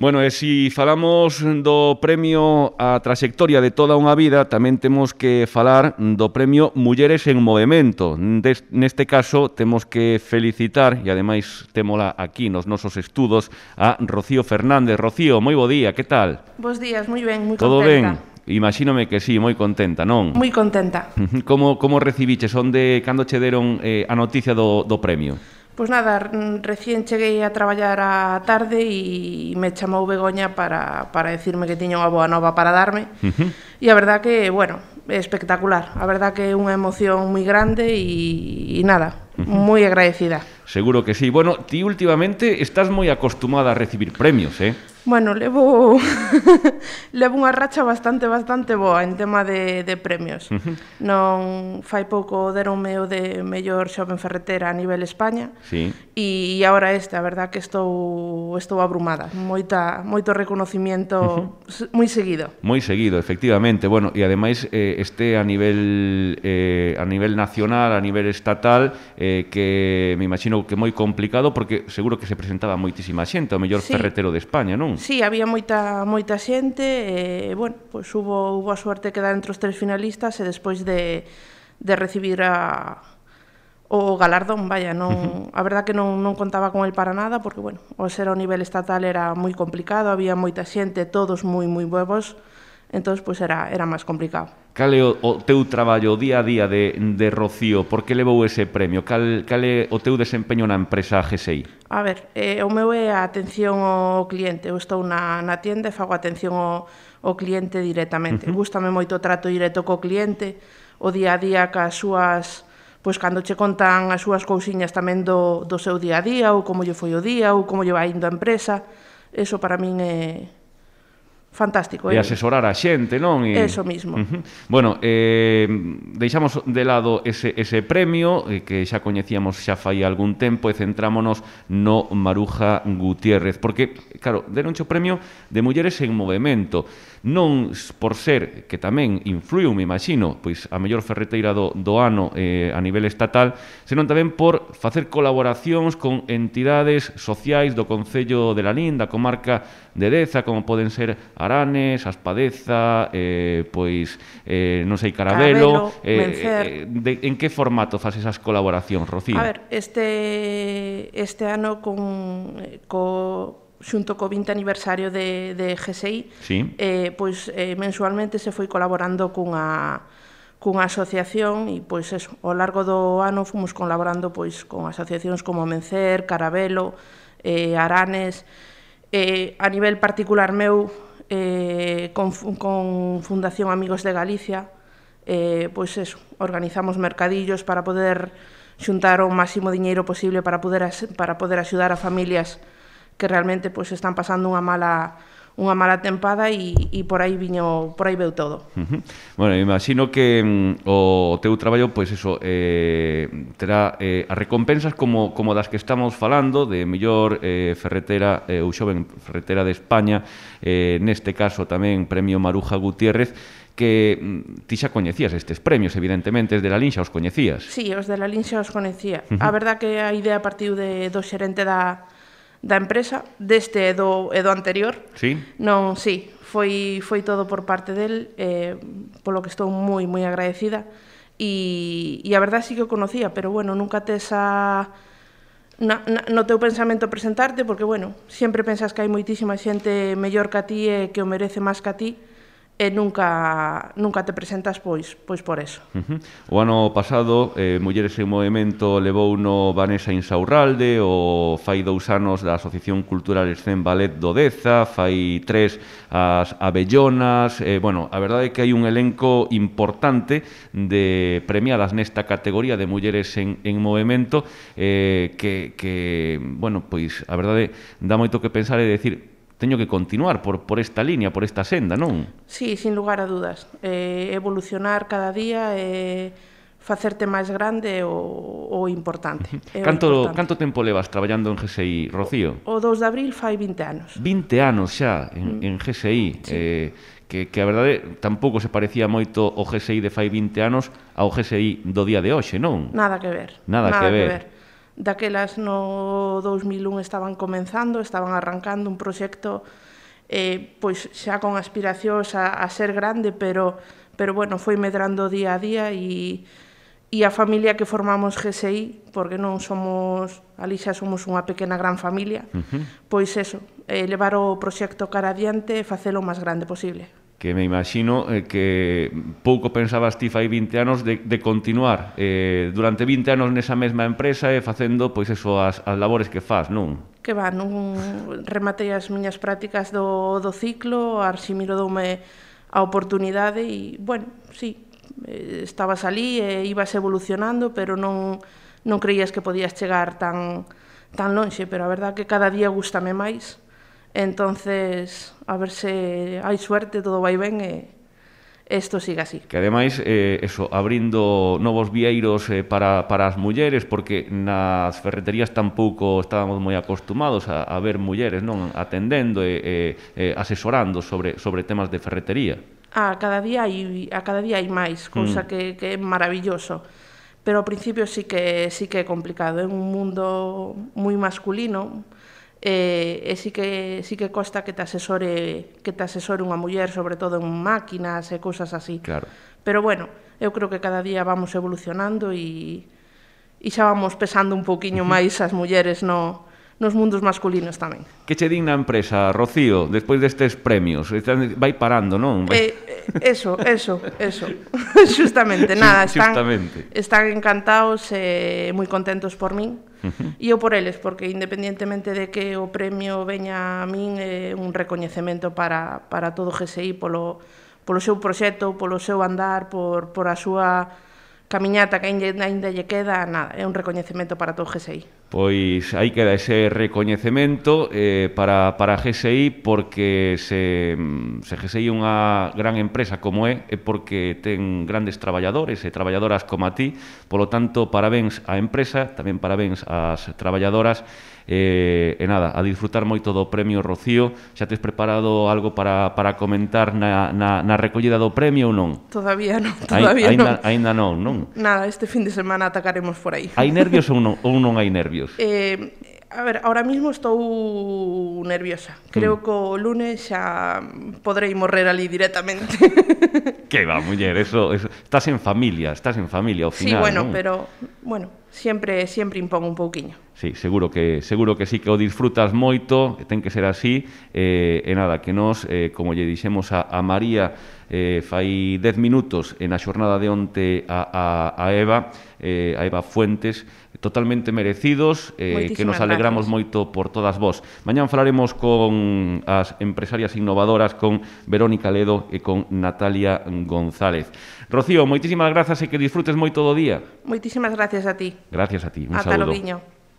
Bueno, e se falamos do premio a trayectoria de toda unha vida, tamén temos que falar do premio Mulleres en Movemento. Neste caso, temos que felicitar, e ademais témola aquí nos nosos estudos, a Rocío Fernández. Rocío, moi bo día, que tal? Bos días, moi ben, moi contenta. Todo ben? Imagínome que sí, moi contenta, non? Moi contenta. Como recibiches? Cando che deron a noticia do premio? Pois nada, recién cheguei a traballar á tarde e me chamou Begoña para decirme que tiña unha boa nova para darme. E a verdad que, bueno, é espectacular. A verdad que é unha emoción moi grande e nada, moi agradecida. Seguro que sí. Bueno, ti últimamente estás moi acostumada a recibir premios, Bueno, levo unha racha bastante boa en tema de premios. Non fai pouco deronme o de mellor xoven ferretera a nivel España. Sí. E agora a verdad que estou abrumada. Moito reconocimiento moi seguido. Moi seguido, efectivamente. Bueno, e ademais a nivel nacional, a nivel estatal, que me imagino que moi complicado porque seguro que se presentaba moitísima xente, o mellor ferretero de España, non? Sí, había moita xente, bueno, pois hubo a suerte de quedar entre os 3 finalistas e despois de recibir o galardón, vaya, non, a verdad que non contaba con el para nada, porque, bueno, o ser ao nivel estatal era moi complicado, había moita xente, todos moi buevos, entón, pois era máis complicado. Cal é o teu traballo, o día a día de Rocío? Por que levou ese premio? Cal é o teu desempeño na empresa GSI? A ver, o meu é a atención ao cliente. Eu estou na tienda e fago atención ao cliente directamente. Gústame moito o trato directo co cliente, o día a día cas súas... Pois cando che contan as súas cousiñas tamén do seu día a día, ou como lle foi o día, ou como lle vai indo a empresa, eso para min é... fantástico. E asesorar a xente, non? Eso mismo. Bueno, deixamos de lado ese premio que xa coñecíamos xa fai algún tempo e centrámonos no Maruja Gutiérrez, porque, claro, deronche o premio de Mulleres en Movemento, non por ser, que tamén influiu, me imagino, pois a mellor ferreteira do ano a nivel estatal, senón tamén por facer colaboracións con entidades sociais do Concello de Lalín, da comarca de Deza, como poden ser Aranes, Aspadeza, pois, non sei, Carabelo, Mencer. En que formato faz esas colaboracións, Rocío? A ver, este ano xunto co 20 aniversario de GSI, sí. Pois mensualmente se foi colaborando cunha asociación e pois eso, ao largo do ano fomos colaborando pois con asociacións como Mencer, Carabelo, Aranes, a nivel particular meu con Fundación Amigos de Galicia, pois eso, organizamos mercadillos para poder xuntar o máximo diñeiro posible para poder axudar a familias que realmente pois están pasando unha mala tempada e por aí veu todo. Bueno, imagino que o teu traballo, pois eso, terá as recompensas como das que estamos falando, de mellor ferretera ou xoven ferretera de España, neste caso tamén Premio Maruja Gutiérrez, que ti xa coñecías estes premios, evidentemente, os de Lalín xa os coñecías. Sí, os de Lalín xa os coñecía. A verdad que a idea partiu do xerente da empresa, deste e do anterior. Sí? Non, sí, foi todo por parte del, polo que estou moi agradecida, e a verdade sí que o conocía, pero bueno, nunca tes no teu pensamento presentarte, porque bueno, sempre pensas que hai moitísima xente mellor que a ti e que o merece máis que a ti, e nunca te presentas pois por eso. O ano pasado, Mulleres en Movemento levou no Vanessa Insaurralde, o fai 2 anos da Asociación Cultural Escén Ballet do Deza, fai 3 as Abellonas, bueno, a verdade é que hai un elenco importante de premiadas nesta categoría de Mulleres en Movemento, que, bueno, pois, a verdade, dá moito que pensar e decir, teño que continuar por esta línea, por esta senda, non? Sí, sin lugar a dudas. Evolucionar cada día, facerte máis grande o importante. Canto tempo levas traballando en GSI, Rocío? O 2 de abril fai 20 anos. 20 anos xa en GSI. Sí. Que a verdade tampouco se parecía moito o GSI de fai 20 anos ao GSI do día de hoxe, non? Nada que ver. Nada que ver. daquelas no 2001 estaban comenzando, estaban arrancando un proxecto pois xa con aspiracións a ser grande, pero bueno, foi medrando día a día e a familia que formamos GSI, porque non somos, ali xa somos unha pequena gran familia, pois eso, levar o proxecto cara adiante e facelo o máis grande posible. Que me imagino que pouco pensabas ti fai 20 anos de continuar durante 20 anos nesa mesma empresa e facendo pois eso as labores que faz, non? Que va, non rematei as miñas prácticas do ciclo, Arximiro doume a oportunidade e, bueno, sí, estabas ali e ibas evolucionando, pero non creías que podías chegar tan lonxe, pero a verdad que cada día gústame máis. Entonces, a ver se hai suerte, todo vai ben e isto siga así. Que ademais, eso, abrindo novos vieiros para as mulleres, porque nas ferreterías tampouco estábamos moi acostumados a ver mulleres, non, atendendo e asesorando sobre temas de ferretería. A cada día hai máis, cousa que é maravilloso. Pero ao principio sí que é complicado, é un mundo moi masculino, e sí que costa que te asesore unha muller, sobre todo en máquinas e cousas así. Claro. Pero bueno, eu creo que cada día vamos evolucionando e xa vamos pesando un pouquiño máis as mulleres nos mundos masculinos tamén. Que che din na empresa, Rocío, despois destes premios? Vai parando, non? Eso. Justamente, nada, están encantados e moi contentos por min. E eu por eles, porque independientemente de que o premio veña a min, é un recoñecemento para todo o GSI polo seu proxecto, polo seu andar, por a súa camiñata que ainda lle queda, nada, é un recoñecemento para todo o GSI. Pois aí queda ese recoñecemento para GSI, porque se GSI é unha gran empresa como é porque ten grandes traballadores e traballadoras como a ti, polo tanto, parabéns á empresa, tamén parabéns ás traballadoras, e nada, a disfrutar moito do premio, Rocío. Xa tes preparado algo para comentar na recollida do premio ou non? Todavía non. Ainda non? Nada, este fin de semana atacaremos por aí. Hai nervios ou non hai nervios? A ver, ahora mismo estou nerviosa. Creo que o lunes xa podrei morrer ali directamente. Que va, muller, eso estás en familia ao final. Sí, bueno, ¿no? Pero bueno, siempre impón un pouquiño. Sí, seguro que sí que o disfrutas moito, ten que ser así, e nada, que nós, como lle dixemos a María fai 10 minutos na xornada de onte a Eva Fuentes, totalmente merecidos, que nos alegramos moito por todas vos. Mañán falaremos con as empresarias innovadoras, con Verónica Ledo e con Natalia González. Rocío, moitísimas grazas e que disfrutes moito do día. Moitísimas gracias a ti. Gracias a ti, un Ata saúdo. logo.